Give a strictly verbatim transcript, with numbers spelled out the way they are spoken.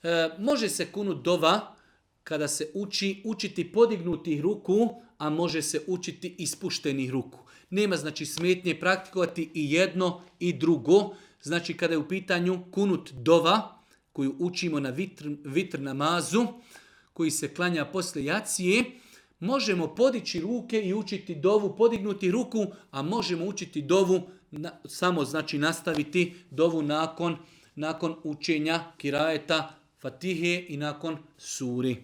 E, može se kunut dova kada se uči učiti podignutih ruku, a može se učiti ispuštenih ruku. Nema znači smetnje praktikovati i jedno i drugo. Znači kada je u pitanju kunut dova koju učimo na vitr, vitr namazu, koji se klanja poslije jacije, možemo podići ruke i učiti dovu, podignuti ruku, a možemo učiti dovu, na, samo znači nastaviti dovu nakon, nakon učenja kirajeta Fatihe i nakon suri.